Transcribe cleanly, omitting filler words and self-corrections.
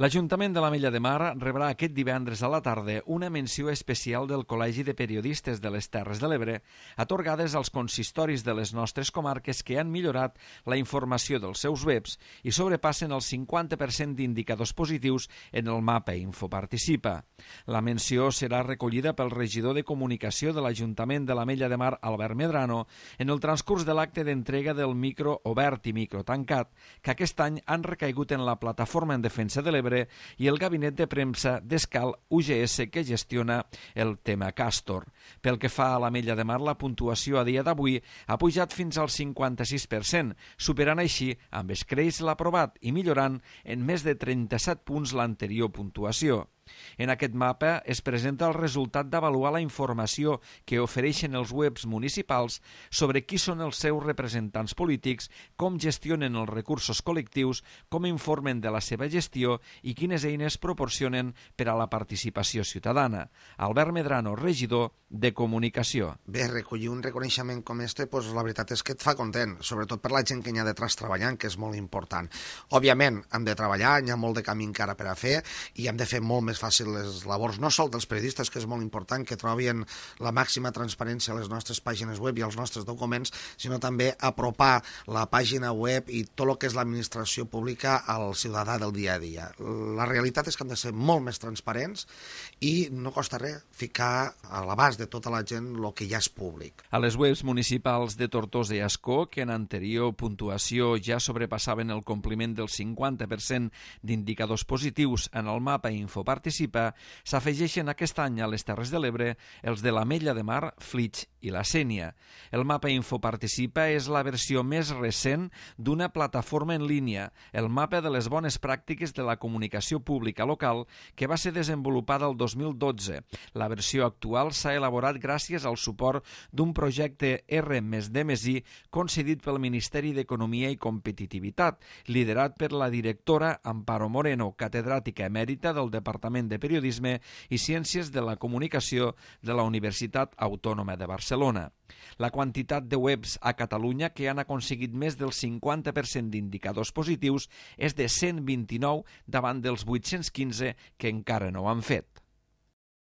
L'Ajuntament de l'Ametlla de Mar rebrà aquest divendres a la tarda una menció especial del Col·legi de Periodistes de les Terres de l'Ebre, atorgades als consistoris de les nostres comarques que han millorat la informació dels seus webs i sobrepassen el 50% d'indicadors positius en el mapa Infoparticipa. La menció serà recollida pel regidor de Comunicació de l'Ajuntament de l'Ametlla de Mar, Albert Medrano, en el transcurs de l'acte d'entrega del micro obert i micro tancat, que aquest any han recaigut en la Plataforma en Defensa de l'Ebre i el gabinet de premsa d'Escal UGS que gestiona el tema Castor. Pel que fa a l'Ametlla de Mar, la puntuació a dia d'avui ha pujat fins al 56%, superant així amb escreix l'aprovat i millorant en més de 37 punts l'anterior puntuació. En aquest mapa es presenta el resultat d'avaluar la informació que ofereixen els webs municipals sobre qui són els seus representants polítics, com gestionen els recursos col·lectius, com informen de la seva gestió i quines eines proporcionen per a la participació ciutadana. Albert Medrano, regidor de Comunicació. Bé, recollir un reconeixement com este, la veritat és que et fa content, sobretot per la gent que hi ha detrás treballant, que és molt important. Òbviament, hem de treballar, hi ha molt de camí encara per a fer i hem de fer molt més fàcil les labors, no sol dels periodistes, que és molt important que trobin la màxima transparència a les nostres pàgines web i als nostres documents, sinó també apropar la pàgina web i tot el que és l'administració pública al ciutadà del dia a dia. La realitat és que hem de ser molt més transparents i no costa res ficar a l'abast de tota la gent el que ja és públic. A les webs municipals de Tortosa i Ascó, que en anterior puntuació ja sobrepassaven el compliment del 50% d'indicadors positius en el mapa Infoparticipa, s'afegeixen aquest any a les Terres de l'Ebre els de l'Ametlla de Mar, Flix i la Sénia. El mapa Infoparticipa és la versió més recent d'una plataforma en línia, el mapa de les bones pràctiques de la comunicació pública local, que va ser desenvolupada el 2012. La versió actual s'ha elaborat gràcies al suport d'un projecte R+D+I concedit pel Ministeri d'Economia i Competitivitat, liderat per la directora Amparo Moreno, catedràtica emèrita del Departament de Periodisme i Ciències de la Comunicació de la Universitat Autònoma de Barcelona. La quantitat de webs a Catalunya que han aconseguit més del 50% d'indicadors positius és de 129 davant dels 815 que encara no ho han fet.